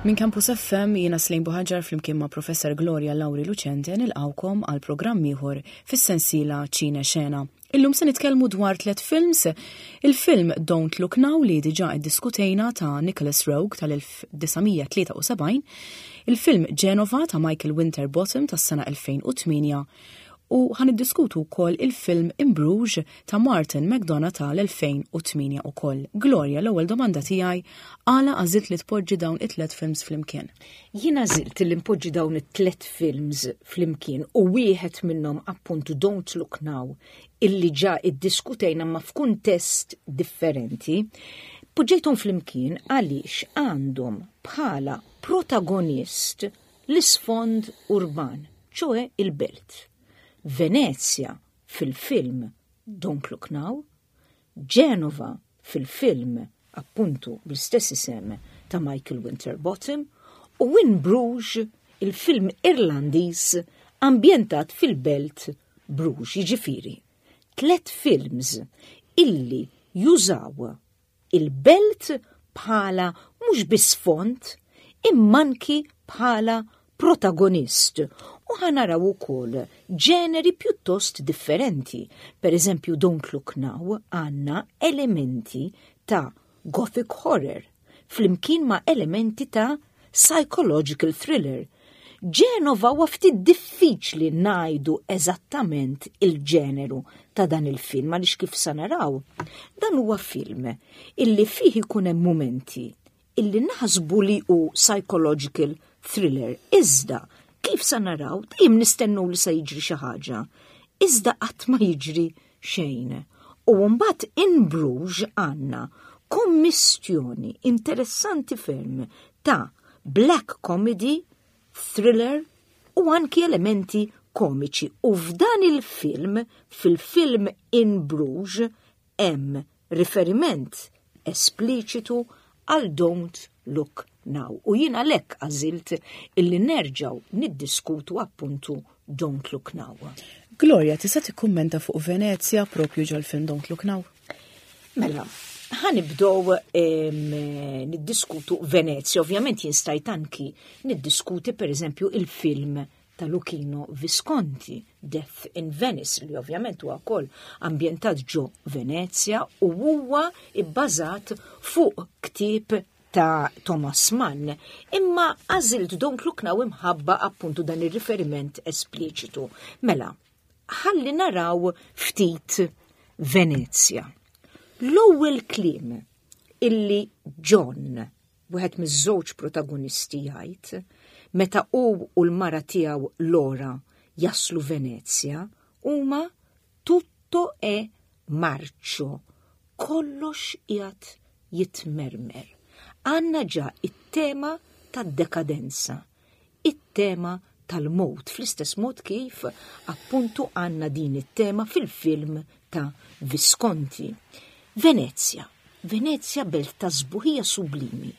Minn Campus FM jiena Slejn Buħaġar flimkien ma' Professor Gloria Lauri Lucente nilqawkom għal programm ieħor fis-sensiela Ċine Xena. Illum se nitkellmu dwar tliet films, il-film Don't Look Now li diġà iddiskutejna ta' Nicholas Rogue tal-1973, il-film Genova ta' Michael Winterbottom tas-sena 2008 u ħan iddiskutu wkoll il-film In Bruges ta' Martin McDonagh tal-2008 ukoll. Gloria, l-ewwel domanda tiegħi għala għażilt li tpoġġi dawn it-tliet films flimkien? Jien għażilt li npoġġi dawn it-tliet films flimkien u wieħed minnhom appuntu Don't Look Now illi ġa iddiskutejna ma f'kuntest differenti. Poġġejthom flimkien għaliex għandhom bħala protagonist l-isfond urban, ċoe il-belt. Venezja fil-film Don't Look Now, Genova fil-film appuntu bl-istess isem ta' Michael Winterbottom u In Bruges il-film Irlandiż ambjentat fil-belt Bruges, jiġifieri tlet films illi jużaw il-belt bħala mhux biss font imma anki bħala protagonist u ħa naraw ukoll ġeneri pjuttost differenti. Per eżempju, Don't Look Now għandna elementi ta' gothic horror flimkien ma' elementi ta' psychological thriller. Ġenova huwa ftit diffiċli ngħidu eżattament il-ġeneru ta' dan il-film għaliex kif sa naraw, dan huwa film illi fih ikun hemm mumenti illi naħsbu li hu psychological thriller. Iżda, kif sa naraw, dejjem nistennu li se jiġri xi ħaġa. Iżda qatt ma jiġri xejn. U mbagħad in Bruges għandna kommistjoni interessanti ferm ta' black comedy, thriller u anki elementi komiċi. U f'dan il-film, fil-film In Bruges, hemm riferiment espliċitu għal Don't Look Now. U jien għalhekk għażilt illi nerġgħu niddiskutu appuntu Don't Look Now. Gloria, tista' tikkummenta fuq Venezia propju ġol-film Don't Look Now? Mela, ħanibdow niddiskutu Venezia. Ovvjament jien stajt anki niddiskuti per eżempju il-film ta' Luchino Visconti, Death in Venice, li ovvjament huwa wkoll ambjentat ġo Venezia u huwa bbażat fuq ktieb ta' Thomas Mann. Imma għażilt Don't Look Now imħabba appuntu dan ir-riferiment espliċitu. Mela, ħalli naraw ftit Venezia. L-ewwel kliem illi John wieħed miż-żewġ protagonisti jgħid, meta hu u l-mara tiegħu Laura jaslu Venezja, huma tutto è marcio, kollox qiegħed jitmermer. Għandna ġa it-tema tad-dekadenza, it-tema tal-mowt, fl-istess mod kif appuntu għandna din it-tema fil-film ta' Visconti. Venezja, Venezja belt ta' sbuħija sublimi,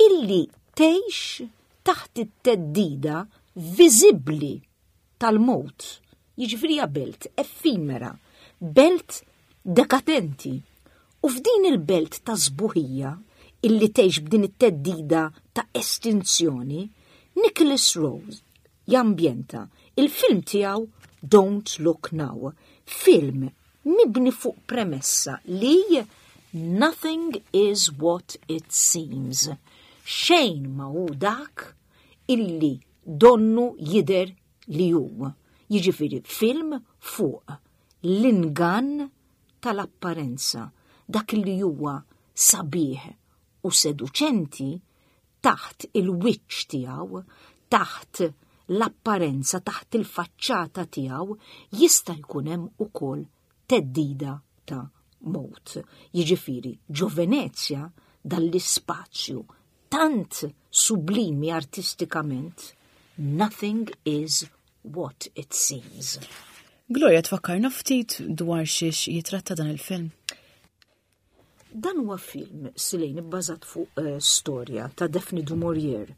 illi tgħix taħt it-theddida viżibbli tal-mowt. Jiġifieri hija belt effimera, belt dekadenti. U f'din il-belt ta' sbuħija illi tgħix b'din it-theddida ta' estinzjoni, Nicholas Rowe jambjenta il-film tiegħu Don't Look Now, film mibni fuq premessa li nothing is what it seems. Xejn ma hu dak illi donnu jidher li hu. Jiġifieri film fuq l-ingann tal-apparenza, dak li huwa sabiħ u seduċenti taħt il-wiċċ tiegħu, taħt l-apparenza, taħt il-faċċata tiegħu, jista' jkun hemm ukoll theddida ta' mowt. Jiġifieri, ġo Venezja dan l-ispazju tant sublimi artistikament, nothing is what it seems. Gloria, tfakkarna ftit dwar xiex jitratta dan il-film? Dan huwa film Silejn ibbażat fuq eh, storja ta' Daphne du Maurier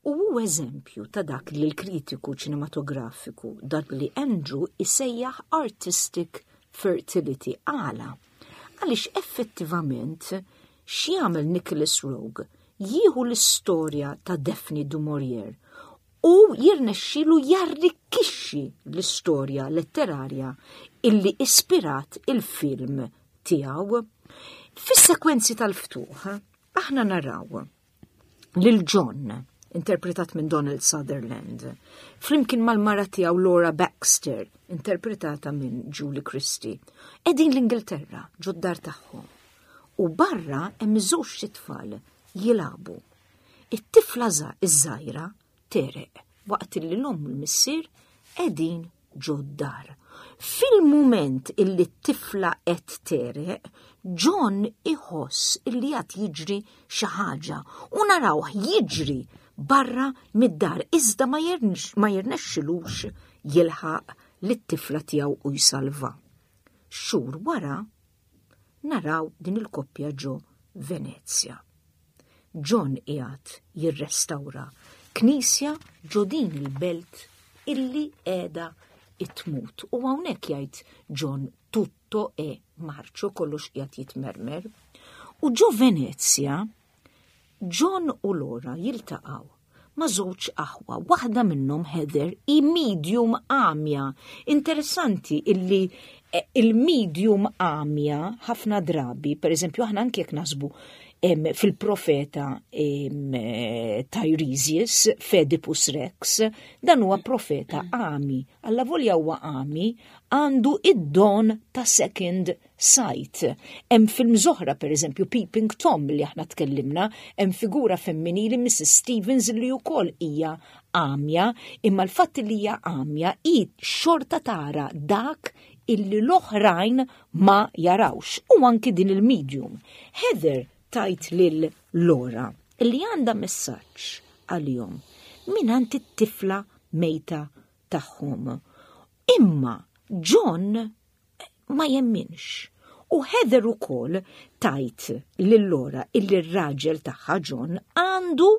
u hu eżempju ta' dak li l-kritiku ċinematografiku Dudley Andrew isejjaħ artistic fertility. Għala? Għaliex effettivament x'jagħmel Nicholas Rogue? jieħu l-istorja ta' Daphne du Maurier u jirnexxilu jarrikkixxi l-istorja letterarja illi ispirat il-film tiegħu. Fis-sekwenzi tal-ftuħ, aħna naraw lil John, interpretat minn Donald Sutherland, flimkien mal-mara tiegħu Laura Baxter, interpretata minn Julie Christie, qegħdin l-Ingilterra ġod-dar tagħhom. U barra hemm żewġ tfal jilagħbu. It-tifla iż-żgħira tereq waqt li l-omm u l-missier qegħdin ġod-dar. Fil-mument illi t-tifla qed tereq, John iħoss illi qed jiġri xi ħaġa u narawh jiġri barra mid-dar iżda ma jirnexxilux jilħaq lit-tifla tiegħu u jsalva. Xhur wara naraw din il-koppja ġo Venezja. John qiegħed jirrestawra knisja ġo din il-belt illi qiegħda tmut. U hawnhekk jgħid John tutto e marcio kollox qiegħed jitmermer. U ġo Venezja John u Laura jiltaqgħu ma' żewġ aħwa, waħda minnhom Heather hi medium għamja. Interessanti illi eh, il-medium għamja ħafna drabi, per eżempju aħna anke jekk naħsbu fil-profeta eh, Tiresias, Fedipus Rex, dan huwa profeta għami. Alla volja huwa għami, għandu id-don ta' second sight. Hemm films oħra, pereżempju Peeping Tom li aħna tkellimna, hemm figura femminili Mrs. Stevens li wkoll hija għamja, imma l-fatt li hija għamja hi xorta tara dak illi l-oħrajn ma jarawx u anki din il-medium. Heather tajt lil Laura illi għandha messaġġ għalihom mingħand it-tifla mejta tagħhom. Imma John ma jemminx. U Heather ukoll tajt lil Laura illi r-raġel tagħha John għandu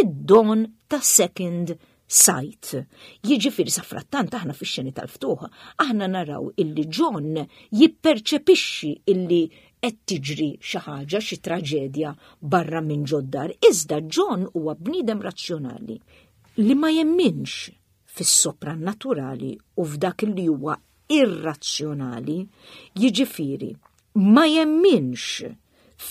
id-don ta' second sight. Jiġifieri sa frattant aħna fix-xeni tal-ftuħ, aħna naraw illi John jipperċepixxi illi qed tiġri xi ħaġa, xi traġedja barra minn ġod-dar. Iżda John huwa bniedem razzjonali li ma jemminx fis-soprannaturali u f'dak li huwa irrazzjonali, jiġifieri ma jemminx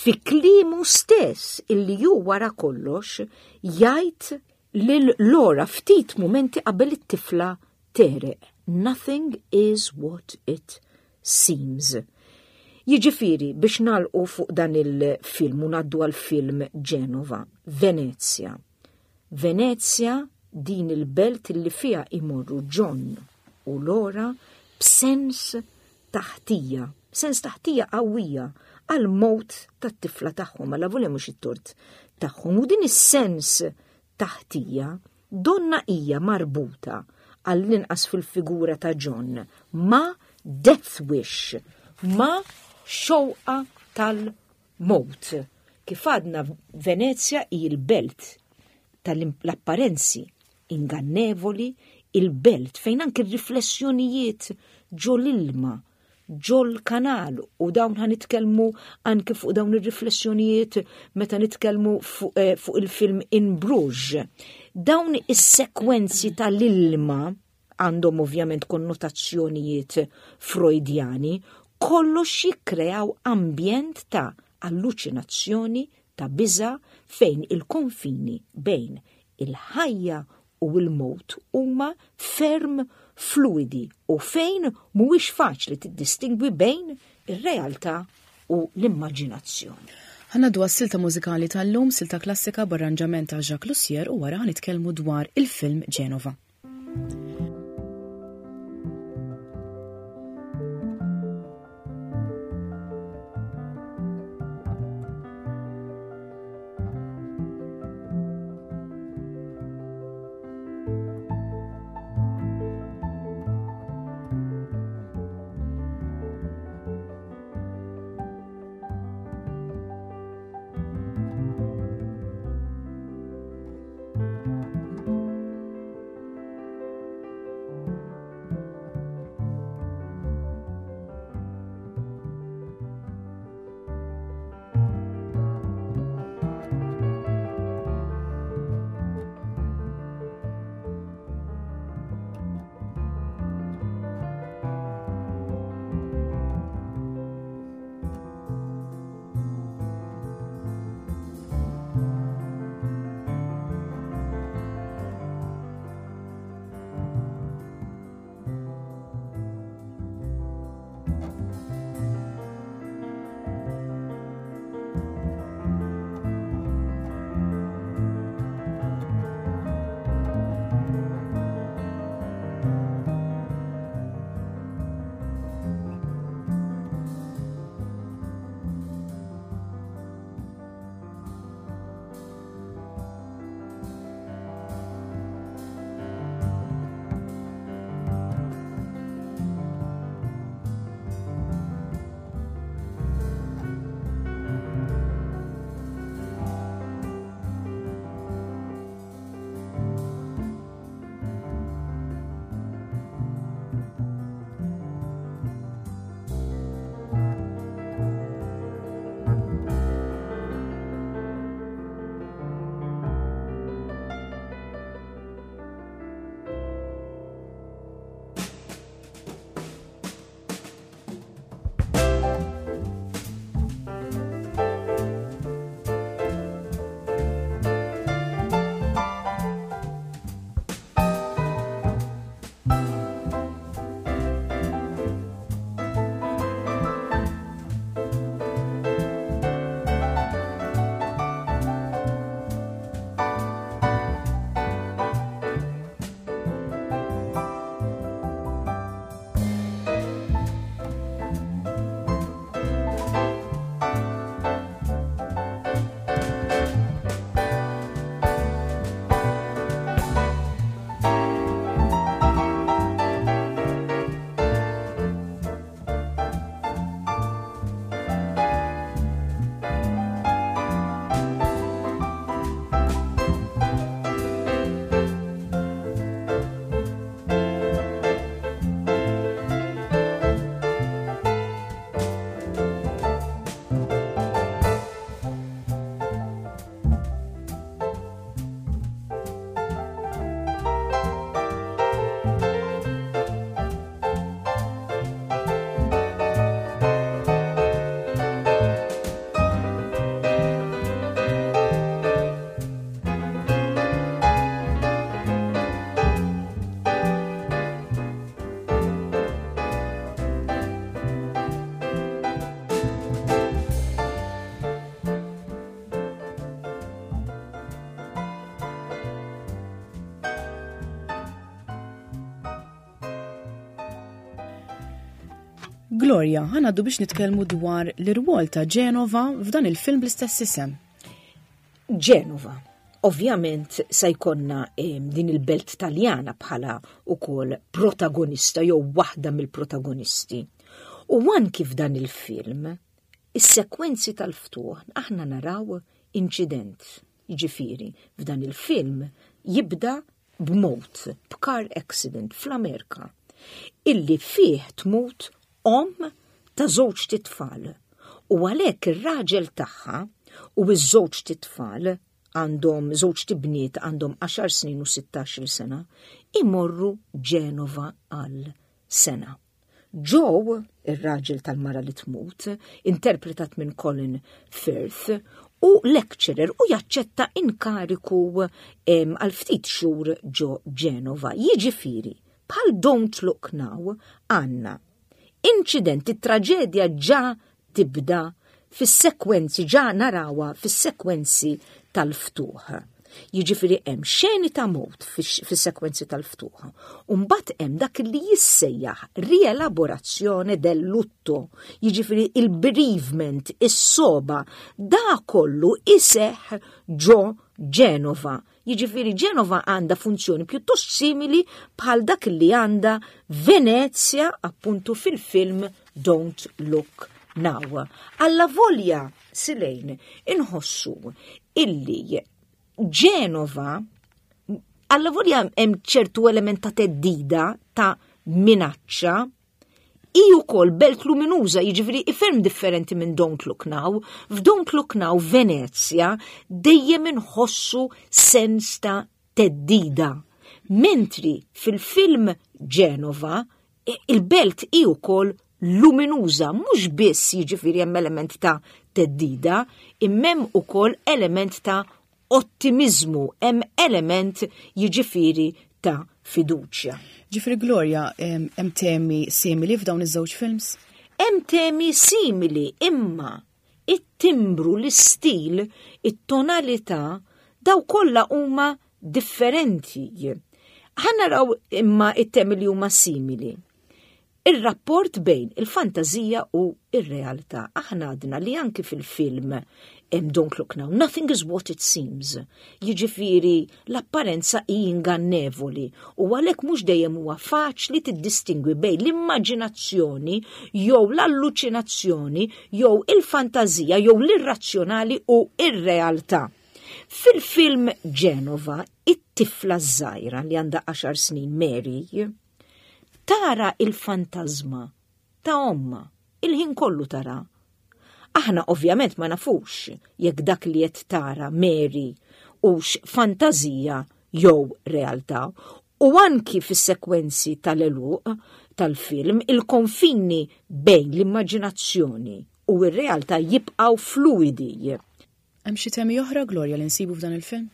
fi kliemu stess illi hu wara kollox jgħid lil Laura ftit mumenti qabel it-tifla tereq. Nothing is what it seems. Jiġifieri biex nagħlqu fuq dan il-film u ngħaddu għall-film Genova, Venezia. Venezja, din il-belt li fiha imorru John u Laura b'sens ta' ħtija, sens ta' ħtija qawwija għall-mewt tat-tifla tagħhom, allavolja mhux it-tort tagħhom. U din is-sens ta' ħtija donna hija marbuta għall-inqas fil-figura ta' John ma' death wish, ma' xewqa tal- Mewt. Kif għadna Venezja hi l-belt tal-apparenzi ingannevoli, il-belt fejn anki r-riflessjonijiet ġo l-ilma, ġol-kanal u dawn ħa nitkellmu anki fuq dawn ir-riflessjonijiet meta nitkellmu fuq, eh, fuq il-film In Bruges. Dawn is-sekwenzi tal-ilma għandhom ovvjament konnotazzjonijiet Freudjani, kollox jikkreaw ambjent ta' alluċinazzjoni, ta' biża' fejn il-konfini bejn il-ħajja u l-mewt huma ferm fluidi u fejn mhuwiex faċli tiddistingwi bejn ir-realtà u l-immaġinazzjoni. Ħa ngħaddu għas-silta mużikali tal-lum, silta klassika b'arranġament ta' Jacques Lussier u wara ħa nitkellmu dwar il-film Genova. Gloria, ħa ngħaddu biex nitkellmu dwar l-irwol ta' Ġenova f'dan il-film bl-istess isem. Ġenova. Ovvjament se jkollna din il-belt Taljana bħala ukoll protagonista jew waħda mill-protagonisti. U anki f'dan il-film, is-sekwenzi tal-ftuħ aħna naraw inċident. Jiġifieri, f'dan il-film jibda b'mewt, b'car accident fl-Amerika, illi fih tmut omm ta' żewġt itfal. U għalhekk ir-raġel tagħha u ż-żewġt itfal għandhom żewġt ibniet għandhom 10 snin u 16-il sena, imorru Ġenova għal sena. Joe, ir-raġel tal-mara li tmut, interpretat minn Colin Firth, u lecturer u jaċċetta inkariku għal ftit xhur ġo Ġenova. Jiġifieri, bħal Don't Look Now għandna inċident, it-traġedja ġa tibda fis-sekwenzi, ġa narawha fis-sekwenzi tal-ftuħ. Jiġifieri hemm xeni ta' mewt fis-sekwenzi tal-ftuħ. U mbagħad hemm dak li jissejjaħ rielaborazzjoni del lutto, jiġifieri il-bereavement, is-soba, da kollu iseħħ ġo Ġenova. Jiġifieri Ġenova għandha funzjoni pjuttost simili bħal dak li għandha Venezja appuntu fil-film Don't Look Now. Alla volja silejn inħossu illi Ġenova alla volja hemm ċertu element ta' teddida ta' minaċċa Hi wkoll belt luminuża, jiġifieri ferm differenti minn Don't Look Now. F'Don't Look Now Venezja dejjem inħossu sens ta' theddida. Mentri fil-film Ġenova il-belt hi wkoll luminuża, mhux biss jiġifieri hemm element ta' theddida, imma hemm ukoll element ta' ottimiżmu, hemm element jiġifieri ta' fiduċja. Ġifieri Gloria, hemm temi simili f'dawn iż-żewġ films? Hemm temi simili imma it-timbru, l-istil, it-tonalità, daw kollha huma differenti. Ħa naraw imma it-temi li huma simili. Ir-rapport bejn il-fantażija u r-realtà. Aħna għadna li anki fil-film hemm Don't Look Now, nothing is what it seems. Jiġifieri l-apparenza hi ingannevoli u għalhekk mhux dejjem huwa faċli tiddistingwi bejn l-immaġinazzjoni jew l-alluċinazzjoni jew il-fantażija jew l-irrazzjonali u r-realtà. Fil-film Genova, it-tifla ż-żgħira li għandha għaxar snin Mary, Tara il-fantażma ta' ommha, il-ħin kollu tara. Aħna ovvjament ma nafux jekk dak li qed tara Mary hux fantażija jew realtà u anki fis-sekwenzi tal-għeluq tal-film il-konfini bejn l-immaġinazzjoni u r-realtà jibqgħu fluidi. Hemm xi temi oħra, Gloria, li nsibu f'dan il-film?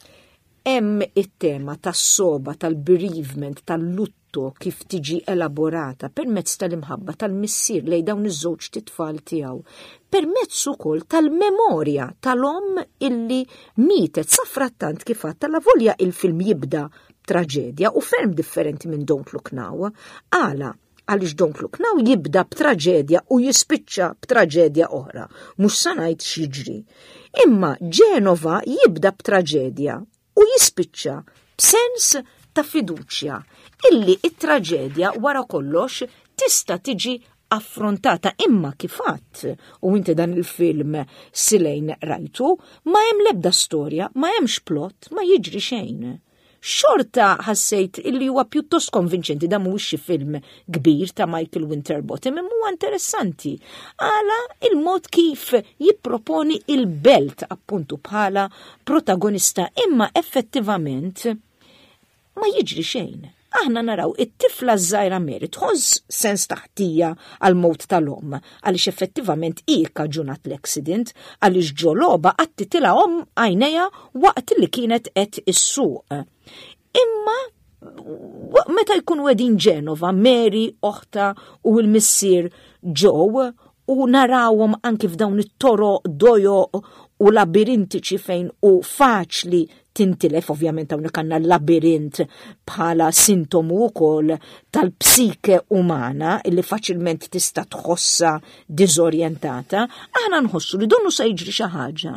Hemm it-tema tas-soba, tal-bereavement, tal-lutto kif tiġi elaborata permezz tal-imħabba tal-missier lejn dawn iż-żewġ titfal tiegħu, permezz ukoll tal-memorja tal-omm illi mietet safrattant kif għadt alavolja il-film jibda b'traġedja u ferm differenti minn Don't Look Now. Għala? Għaliex Don't Look Now jibda b'traġedja u jispiċċa b'traġedja oħra. Mhux sa ngħid x'jiġri. Imma Ġenova jibda b'traġedja u jispiċċa b'sens ta' fiduċja illi it-traġedja wara kollox tista' tiġi affrontata imma kif għadt u inti dan il-film silejn rajtu ma hemm l-ebda storja, ma hemmx plot, ma jiġri xejn. Xorta ħassejt illi huwa pjuttost konvinċenti dan mhuwiex xi film kbir ta' Michael Winterbottom imma huwa interessanti. Għala il-mod kif jipproponi il-belt appuntu bħala protagonista imma effettivament ma jiġri xejn. Aħna naraw it-tifla ż-żgħira Mary tħoss sens ta' ħtija għall-mewt tal-omm għaliex effettivament hi kkaġunat l-accident għaliex ġo logħba qattitilha omm għajnejha waqt li kienet qed issuq. Imma meta jkunu qegħdin Ġenova, Mary, oħta u l-missier Joe u narawhom anki f'dawn it-toroq dojoq u labirintiċi fejn hu faċli Tintilef, ovvjament hawnhekk għandna l-labirint bħala sintomu wkoll tal-psike umana illi faċilment tista' tħossha diżorjentata, aħna nħossu li donnu se jiġri xi ħaġa,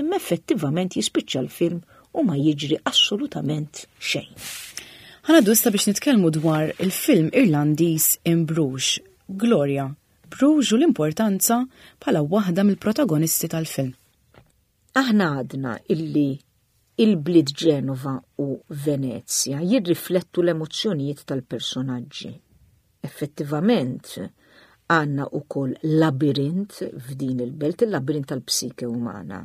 imma effettivament jispiċċa l-film u ma jiġri assolutament xejn. Ħa ngħaddu issa biex nitkellmu dwar il-film Irlandiż In Bruges, Gloria, Bruges u l-importanza bħala waħda mill-protagonisti tal-film. Aħna għadna illi il-bliet Ġenova u Venezja jirriflettu l-emozzjonijiet tal-personaġġi. Effettivament, għandna ukoll labirint f'din il-belt, il-labirint tal-psike umana.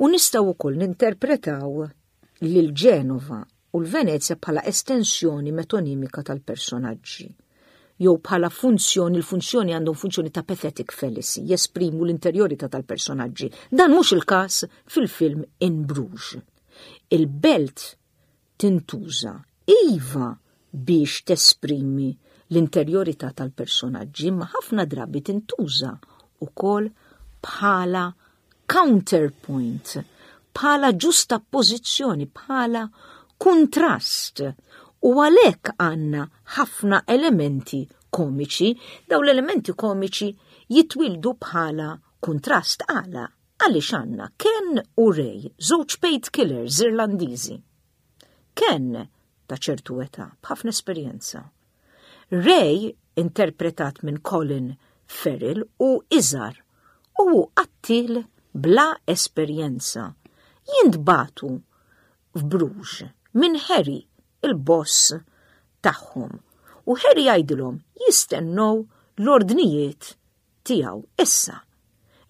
U nistgħu wkoll ninterpretaw lil Ġenova u l-Venezja bħala estensjoni metonimika tal-personaġġi jew bħala funzjoni, il-funzjoni għandhom funzjoni ta' pathetic fallacy, jesprimu l-interjorità tal-personaġġi. Dan mhux il-każ fil-film In Bruges. Il-belt tintuża iva biex tesprimi l-interjorità tal-personaġġi, ma ħafna drabi tintuża ukoll bħala counterpoint, bħala ġustappożizzjoni, bħala kuntrast. U għalhekk għandna ħafna elementi komiċi, daw l-elementi komiċi jitwildu bħala kuntrast għala għaliex għandna Ken u Ray, żewġ paid killers Irlandiżi. Ken ta' ċertu età, b'ħafna esperjenza. Ray, interpretat minn Colin Farrell, hu iżgħar u hu qattiel bla esperjenza. Jintbagħtu f'Bruges minn Harry, il-boss tagħhom. U Harry jgħidilhom jistennew l-ordnijiet tiegħu. Issa,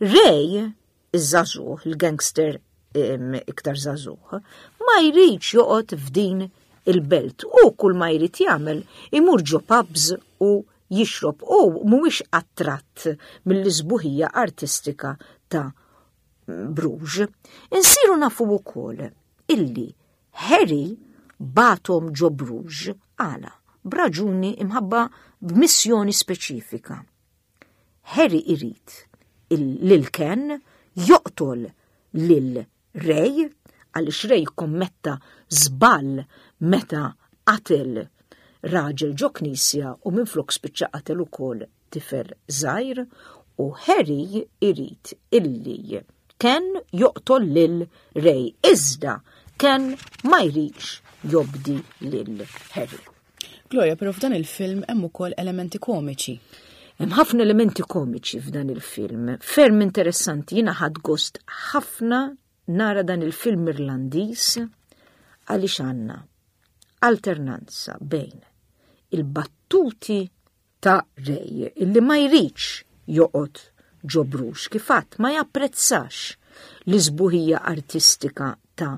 Ray, iż-żagħżugħ, il-gangster iktar żagħżugħ, ma jridx joqgħod f'din il-belt u kull ma jrid jagħmel imur ġo pubs u jixrob u mhuwiex attratt mill-isbuħija artistika ta' Bruges. Insiru nafu wkoll illi Harry bagħathom ġo Bruges għala b'raġuni imħabba b'missjoni speċifika. Harry irid lil Ken joqtol lil Ray għaliex Ray kommetta żball meta qatel raġel ġo knisja u minflok spiċċa qatel ukoll tifel żgħir u Harry irid illi Ken joqtol lil Ray iżda Ken ma jridx jobdi lil Harry. Gloria, però f'dan il-film hemm ukoll elementi komiċi. Hemm ħafna elementi komiċi f'dan il-film. Ferm interessanti, jiena ħadt gost ħafna nara dan il-film Irlandiż għaliex għandna alternanza bejn il-battuti ta' Ray illi ma jridx joqgħod ġo Bruges kif għadt ma japprezzax l-isbuħija artistika ta'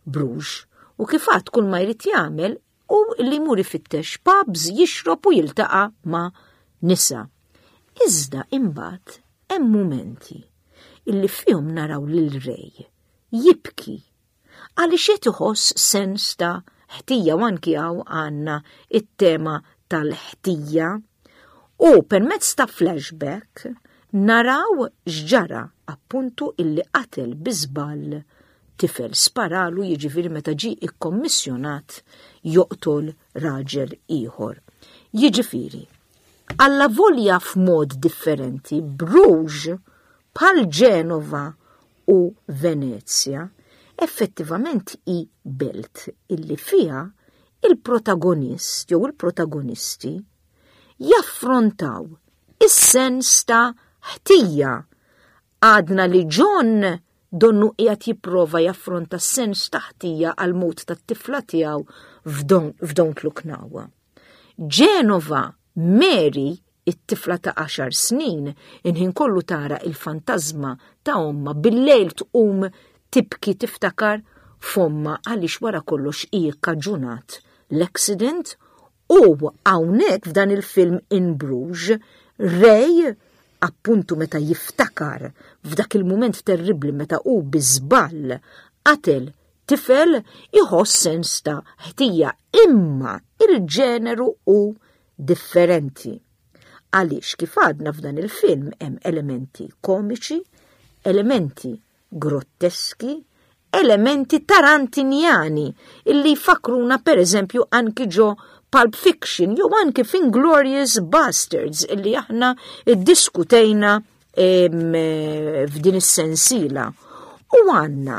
Bruges u kif għadt kull ma jrid jagħmel u li jmur ifittex pubs jixrob u jiltaqa' ma' nisa. Iżda imbagħad hemm mumenti illi fihom naraw lil Ray jibki għaliex qed iħoss sens ta' ħtija u anki hawn għandna it-tema tal-ħtija. U permezz ta' flashback naraw x'ġara appuntu illi qatel bi żball tifel sparalu jiġifieri meta ġie ikkommissjonat joqtol raġel ieħor. Jiġifieri, allavolja f'mod differenti, Bruges bħal Ġenova u Venezja effettivament hi belt illi fiha il-protagonist jew il-protagonisti jaffrontaw is-sens ta' ħtija. Għadna li John donnu qiegħed jipprova jaffronta s-sens ta' ħtija għall-mewt tat-tifla tiegħu f'Don't Look Now. Ġenova, Mary, it-tifla ta' għaxar snin, inħin kollu tara il-fantażma ta' ommha bil-lejl tqum tibki tiftakar f'ommha għaliex wara kollox hi kkaġunat l-accident u hawnhekk f'dan il-film In Bruges, Ray appuntu meta jiftakar f'dak il-mument terribbli meta hu bi żball qatel tifel iħoss sens ta' ħtija imma il-ġeneru hu differenti. Għaliex kif għadna f'dan il-film hemm elementi komiċi, elementi grotteski, elementi tarantinjani illi jfakkruna pereżempju anki ġo Pulp Fiction jew anki f'Inglorious Bastards illi aħna iddiskutejna f'din is-sensiela. U għandna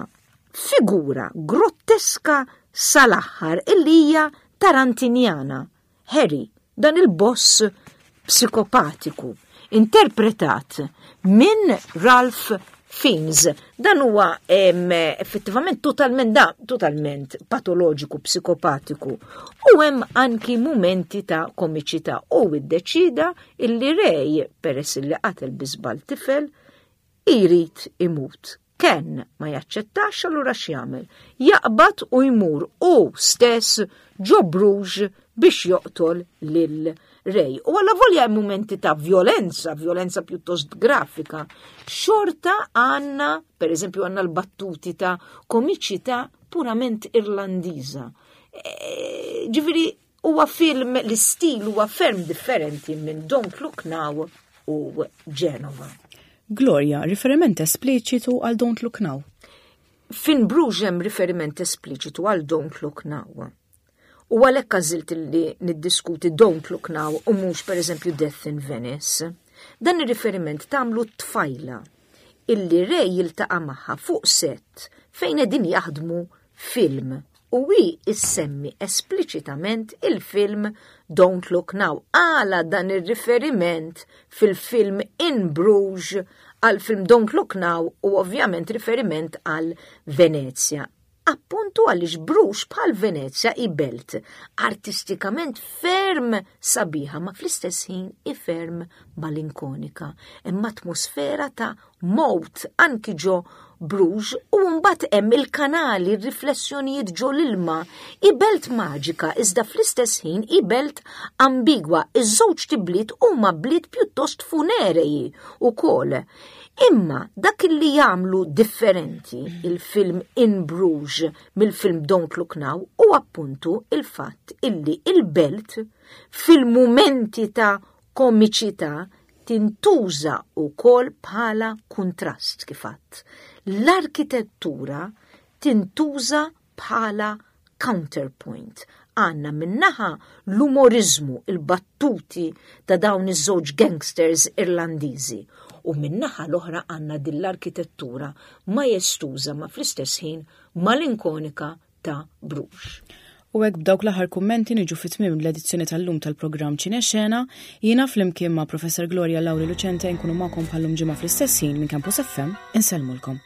figura grotteska sal-aħħar illi hija tarantinjana. Harry, dan il-boss psikopatiku, interpretat minn Ralph Fiennes. Dan huwa effettivament totalment da, totalment patoloġiku, psikopatiku. U hemm anki mumenti ta' komiċità u iddeċida illi Ray, peress illi qatel bi żball tifel, irid imut. Ken ma jaċċettax allura x'jagħmel? Jaqbad u jmur hu stess ġo Bruges biex joqtol lil Ray. U allavolja hemm mumenti ta' vjolenza, vjolenza pjuttost grafika, xorta għandna, per eżempju għandna l-battuti ta' komiċità purament Irlandiża. E, ġifieri huwa film l-istil huwa ferm differenti minn Don't Look Now u Genova. Gloria, riferiment espliċitu għal Don't Look Now. Fin Bruges hemm riferiment espliċitu għal Don't Look Now. U għalhekk għażilt li niddiskuti Don't Look Now u mhux pereżempju Death in Venice. Dan ir-riferiment tagħmlu t-tfajla illi Ray jiltaqa' magħha fuq set fejn qegħdin jaħdmu film u hi ssemmi espliċitament il-film Don't Look Now. Għala dan ir-riferiment fil-film In Bruges għal film Don't Look Now u ovvjament riferiment għal Venezia. Appuntu għaliex Bruges bħal Venezia hi belt artistikament ferm sabiħa ma fl-istess ħin hi ferm malinkonika. Hemm atmosfera ta' mowt anki ġo Bruges u mbagħad hemm il-kanali, r-riflessjonijiet ġo l-ilma. Hi belt maġika iżda fl-istess ħin hi belt ambigwa. Iż-żewġ tibliet huma bliet pjuttost funereji ukoll. Imma dak li jagħmlu differenti il-film In Bruges mill-film Don't Look Now hu appuntu il-fatt illi il-belt fil-mumenti ta' komiċità tintuża wkoll bħala kuntrast kif għadt. L-arkitettura tintuża bħala counterpoint. Għandna min-naħa l-umoriżmu, il-battuti ta' dawn iż-żewġ gangsters Irlandiżi u min-naħa l-oħra għandna din l-arkitettura majestuża ma fl-istess ħin malinkonika ta' Bruges. U hekk b'dawk l-aħħar kummenti niġu fi tmiem l-edizzjoni tal-lum tal-programm Ċine Xena, jiena flimkien ma' Professor Gloria Lauri Lucente nkunu magħkom bħallum ġimgħa fl-istess ħin minn Campus FM insellmulkom.